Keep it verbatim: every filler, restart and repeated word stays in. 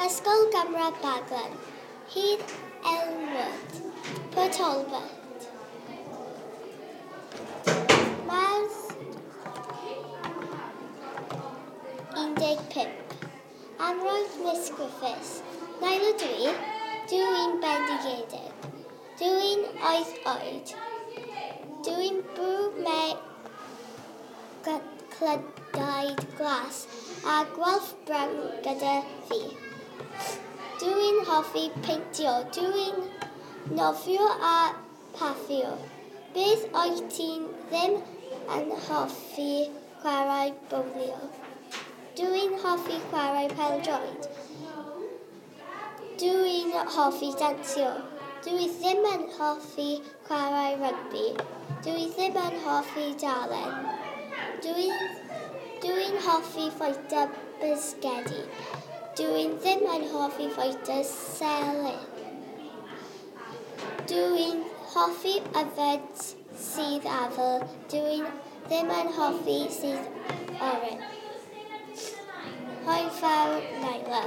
Ysgol Gynradd Baglan, Hydd Elwood, Port Talbot. Mawrth un deg pump. Amroedd Miss Griffiths. Nail ydw i. Dw i'n bendigedig. Dw i'n wyth oed. Dw i'n byw mewn clydaid glas a gwallt brown gyda fi. Dw i'n hoffi peintio. Dw i'n nofio a paffio. Beth wyt ti ddim yn hoffi chwarae bowlio? Dw i'n hoffi chwarae pêl-droed. Dw i'n hoffi dansio. Dw i ddim yn hoffi chwarae rygbi. Dw i ddim yn hoffi darllen. Dw i'n dw i'n hoffi fwyta bisgedi. Dw i ddim yn hoffi fwyta selen. Dw i'n hoffi yfed sudd afal. Dw i ddim yn hoffi sudd oren. Hwyl fawr, Naila.